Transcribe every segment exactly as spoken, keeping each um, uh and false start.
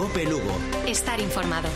Cope Lugo. Estar informado.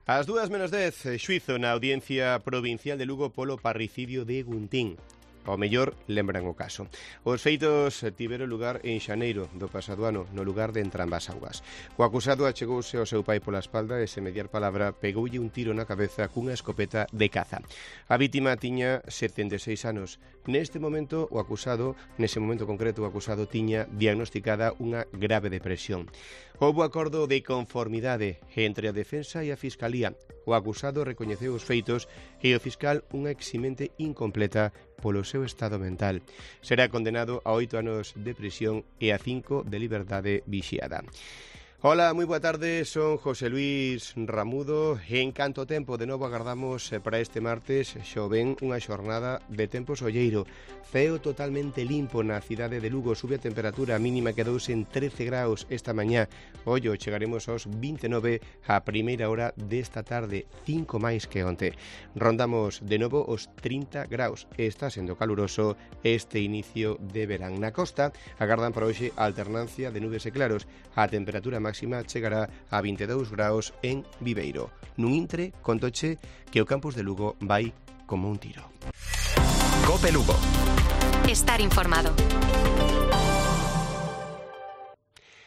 Ás dúas menos dez, xuízo na Audiencia Provincial de Lugo polo parricidio de Guntín. Ao mellor lembran o caso. Os feitos tiveron lugar en xaneiro do pasado ano, no lugar de Entrambas Augas. O acusado achegouse ao seu pai pola espalda e, sen mediar palabra, pegoulle un tiro na cabeza cunha escopeta de caza. A vítima tiña setenta e seis anos. Neste momento, o acusado, nese momento concreto, o acusado tiña diagnosticada unha grave depresión. Houbo acordo de conformidade entre a defensa e a fiscalía. O acusado recoñeceu os feitos e o fiscal unha eximente incompleta polo seu estado mental. Será condenado a oito anos de prisión e a cinco de liberdade vixiada. Hola, moi boa tarde, son José Luis Ramudo e en canto tempo de novo agardamos para este martes xoven unha xornada de tempo solleiro. Ceo totalmente limpo na cidade de Lugo, sube a temperatura, a mínima quedouse en trece graus esta mañá. Ollo, chegaremos aos vinte e nove a primeira hora desta tarde, cinco máis que onte. Rondamos de novo os trinta graus. Está sendo caluroso este inicio de verán. Na costa agardan para hoxe a alternancia de nubes e claros. A temperatura máxima chegará a vinte e dous graus en Viveiro. Nun intre, contoche que o campus de Lugo vai como un tiro. Cope Lugo. Estar informado.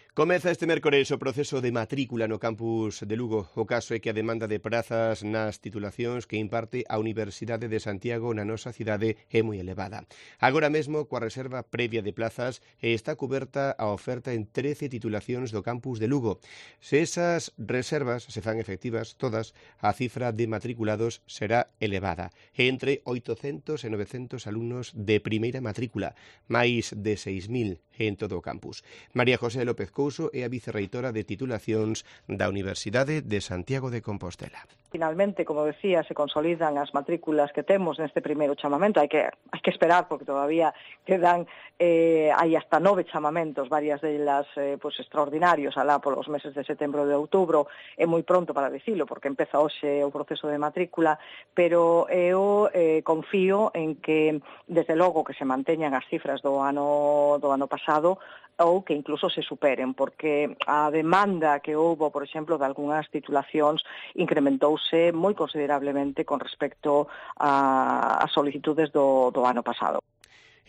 Comeza este mércores o proceso de matrícula no campus de Lugo. O caso é que a demanda de prazas nas titulacións que imparte a Universidade de Santiago na nosa cidade é moi elevada. Agora mesmo, coa reserva previa de plazas, está cuberta a oferta en trece titulacións do campus de Lugo. Se esas reservas se fan efectivas todas, a cifra de matriculados será elevada, entre oitocentos e novecentos alumnos de primeira matrícula, máis de seis mil en todo o campus. María José López Couso é a vicerreitora de titulacións da Universidade de Santiago de Compostela. Finalmente, como decía, se consolidan as matrículas que temos neste primeiro chamamento. Hai que, hai que esperar, porque todavía quedan, eh, hai hasta nove chamamentos, varias delas eh, pues, extraordinarios, alá polos meses de setembro e de outubro. É moi pronto para dicilo, porque empeza hoxe o proceso de matrícula, pero eu eh, confío en que, desde logo, que se manteñan as cifras do ano, do ano pasado, ou que incluso se superen, porque a demanda que houbo, por exemplo, de algunhas titulacións incrementouse moi considerablemente con respecto a, a solicitudes do, do ano pasado.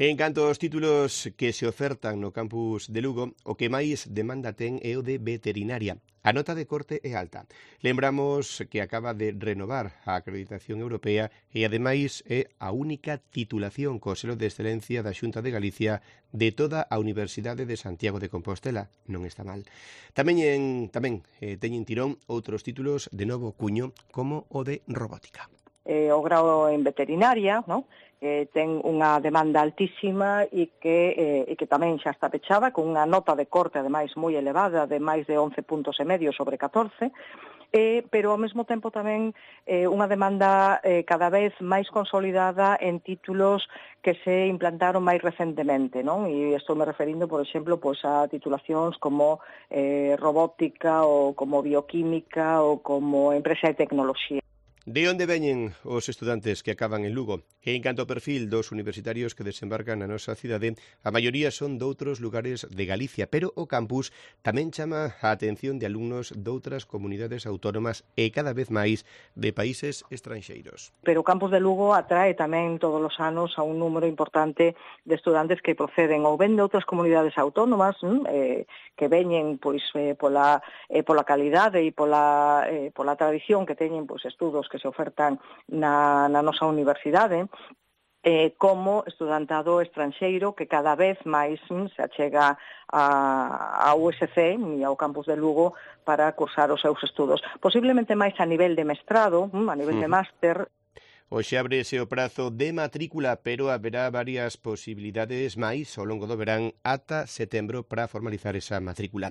En canto aos títulos que se ofertan no campus de Lugo, o que máis demanda ten é o de veterinaria. A nota de corte é alta. Lembramos que acaba de renovar a acreditación europea e, ademais, é a única titulación co selo de excelencia da Xunta de Galicia de toda a Universidade de Santiago de Compostela. Non está mal. Tamén, en, tamén eh, teñen tirón outros títulos de novo cuño, como o de robótica. Eh, o grao en veterinaria, non? Eh, ten unha demanda altísima e que, eh, e que tamén xa está pechada con unha nota de corte, ademais, moi elevada, de máis de once puntos e medio sobre catorce, eh, pero ao mesmo tempo tamén eh, unha demanda eh, cada vez máis consolidada en títulos que se implantaron máis recentemente, non? E estou me referindo, por exemplo, pois a titulacións como eh, robótica ou como bioquímica ou como empresa de tecnoloxía. De onde veñen os estudantes que acaban en Lugo? E en canto ao perfil dos universitarios que desembarcan na nosa cidade, a maioría son doutros lugares de Galicia, pero o campus tamén chama a atención de alumnos doutras comunidades autónomas e cada vez máis de países estranxeiros. Pero o campus de Lugo atrae tamén todos os anos a un número importante de estudantes que proceden ou ben de outras comunidades autónomas, eh, que veñen pois eh, pola eh, pola calidade e pola eh, pola tradición que teñen pois estudos que se ofertan na, na nosa universidade, eh, como estudantado estranxeiro que cada vez máis mm, se achega a, a U S C e ao campus de Lugo para cursar os seus estudos. Posiblemente máis a nivel de mestrado, mm, a nivel uh-huh. de máster. Hoxe ábrese o prazo de matrícula, pero haberá varias posibilidades máis ao longo do verán ata setembro para formalizar esa matrícula.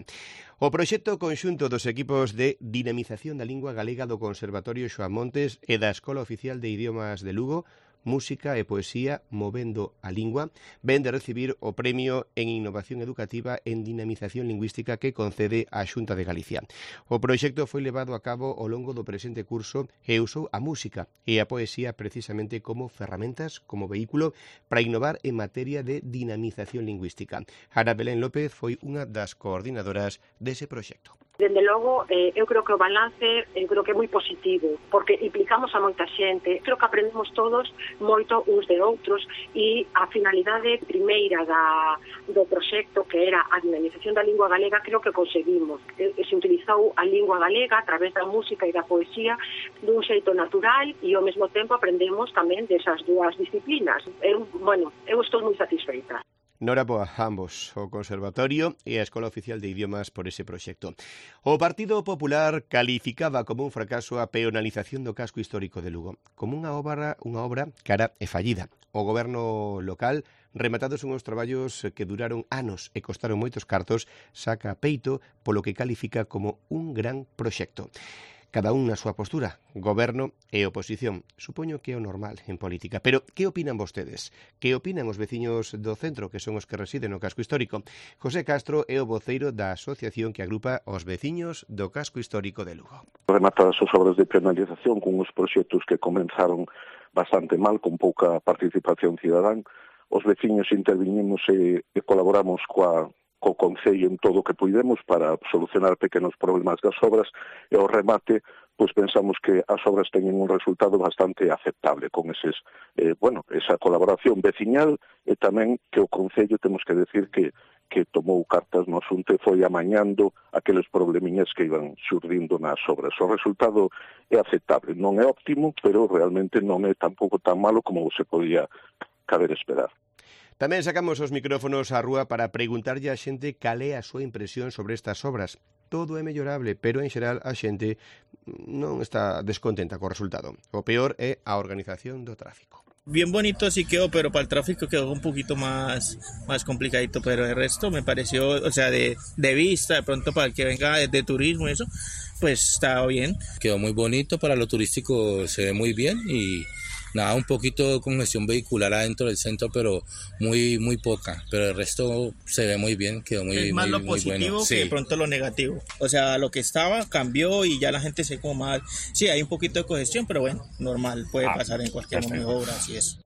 O proxecto conxunto dos equipos de dinamización da lingua galega do Conservatorio Xoán Montes e da Escola Oficial de Idiomas de Lugo Música e Poesía Movendo a Lingua, ven de recibir o Premio en Innovación Educativa en Dinamización Lingüística que concede a Xunta de Galicia. O proxecto foi levado a cabo ao longo do presente curso e usou a música e a poesía precisamente como ferramentas, como vehículo para innovar en materia de dinamización lingüística. Ana Belén López foi unha das coordinadoras dese proxecto. Dende logo, eh, eu creo que o balance eu creo que é moi positivo, porque implicamos a moita xente, creo que aprendemos todos moito uns de outros e a finalidade primeira da, do proxecto, que era a dinamización da lingua galega, creo que conseguimos. E, se utilizou a lingua galega a través da música e da poesía dun xeito natural e ao mesmo tempo aprendemos tamén desas dúas disciplinas. Eu, bueno, eu estou moi satisfeita. Noraboa a ambos, o Conservatorio e a Escola Oficial de Idiomas por ese proxecto. O Partido Popular calificaba como un fracaso a peonalización do casco histórico de Lugo, como unha obra, unha obra cara e fallida. O goberno local, rematados unhos traballos que duraron anos e costaron moitos cartos, saca peito polo que califica como un gran proxecto. Cada un na súa postura, goberno e oposición. Supoño que é o normal en política. Pero que opinan vostedes? Que opinan os veciños do centro, que son os que residen no casco histórico? José Castro é o voceiro da asociación que agrupa os veciños do casco histórico de Lugo. Rematadas as obras de penalización con os proxectos que comenzaron bastante mal, con pouca participación cidadán, os veciños intervinimos e, e colaboramos coa co Concello en todo o que puidemos para solucionar pequenos problemas das obras e ao remate, pois pensamos que as obras teñen un resultado bastante aceptable con eses, eh, bueno, esa colaboración veciñal e tamén que o Concello temos que decir que que tomou cartas no asunto e foi amañando aqueles problemiñas que iban xurdindo nas obras. O resultado é aceptable, non é óptimo, pero realmente non é tampouco tan malo como se podía caber esperar. Tamén sacamos os micrófonos á rúa para preguntarlle á xente cal é a súa impresión sobre estas obras. Todo é mellorable, pero en xeral a xente non está descontenta co resultado. O peor é a organización do tráfico. Bien bonito sí quedó, pero para el tráfico quedó un poquito más, más complicadito, pero el resto me pareció, o sea, de, de vista, de pronto para el que venga de, de turismo, eso, pues estaba bien. Quedó muy bonito, para lo turístico se ve muy bien y nada, un poquito de congestión vehicular adentro del centro, pero muy muy poca, pero el resto se ve muy bien, quedó muy, es más muy, lo muy positivo bueno. que Sí. de pronto lo negativo, o sea, lo que estaba cambió y ya la gente se como más, sí, hay un poquito de congestión, pero bueno, normal, puede ah, pasar en cualquier momento, obras y eso.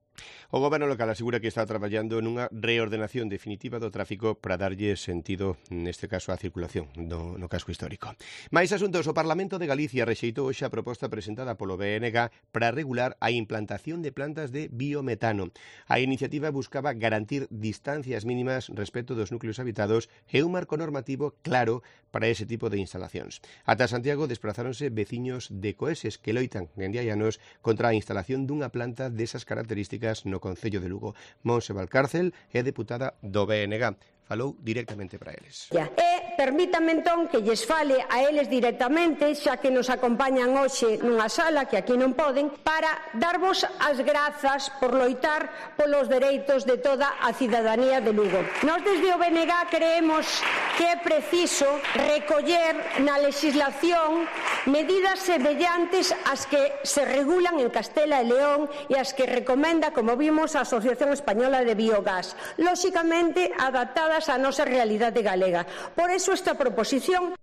O goberno local asegura que está traballando nunha reordenación definitiva do tráfico para darlle sentido, neste caso, á circulación do, no casco histórico. Mais asuntos, o Parlamento de Galicia rexeitou hoxe a proposta presentada polo B N G para regular a implantación de plantas de biometano. A iniciativa buscaba garantir distancias mínimas respecto dos núcleos habitados e un marco normativo claro para ese tipo de instalacións. Ata Santiago desplazáronse veciños de Coeses que loitan en hai anos contra a instalación dunha planta desas características no Concello de Lugo. Monse Valcárcel é deputada do B N G. Falou directamente para eles. E permítame entón que lles fale a eles directamente, xa que nos acompañan hoxe nunha sala que aquí non poden, para darvos as grazas por loitar polos dereitos de toda a cidadanía de Lugo. Nós desde o B N G creemos que é preciso recoller na legislación medidas semellantes ás que se regulan en Castela e León e as que recomenda, como vimos, a Asociación Española de Biogás, lóxicamente adaptadas a nosa realidade galega. Por eso esta proposición...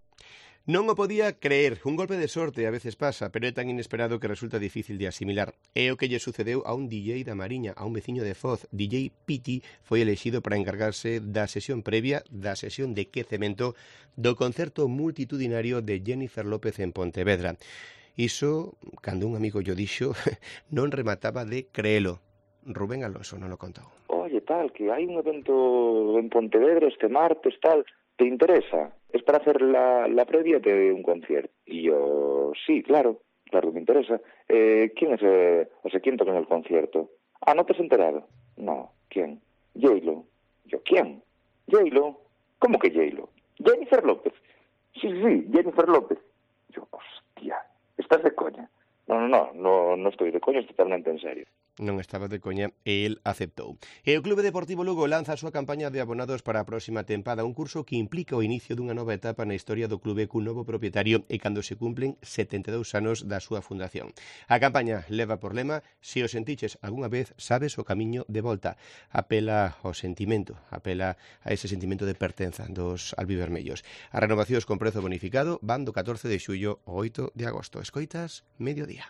Non o podía creer, un golpe de sorte a veces pasa, pero é tan inesperado que resulta difícil de asimilar. É o que lle sucedeu a un D J da Mariña, a un veciño de Foz. D J Piti foi elexido para encargarse da sesión previa, da sesión de quecemento do concerto multitudinario de Jennifer López en Pontevedra. Iso, cando un amigo yo dixo, non remataba de creelo. Rubén Alonso non lo contou. Oye, tal, que hai un evento en Pontevedra este martes, tal, ¿te interesa? Es para hacer la, la previa de un concierto. Y yo, sí, claro, claro que me interesa. Eh, ¿Quién es, eh, o sea, quién toca en el concierto? Ah, ¿no te has enterado? No, ¿quién? J-Lo. Yo, ¿quién? J-Lo. ¿Cómo que J-Lo? Jennifer López. Sí, sí, Jennifer López. Yo, hostia, ¿estás de coña? No, no, no, no, no estoy de coña, es totalmente en serio. non estaba de coña e el aceptou. E o Clube Deportivo Lugo lanza a súa campaña de abonados para a próxima tempada, un curso que implica o inicio dunha nova etapa na historia do clube cun novo propietario e cando se cumplen setenta e dous anos da súa fundación. A campaña leva por lema "Se o sentiches algunha vez, sabes o camiño de volta". Apela ao sentimento, apela a ese sentimento de pertenza dos albivermellos. As renovacións con prezo bonificado van do catorce de xullo ao oito de agosto. Escoitas, mediodía.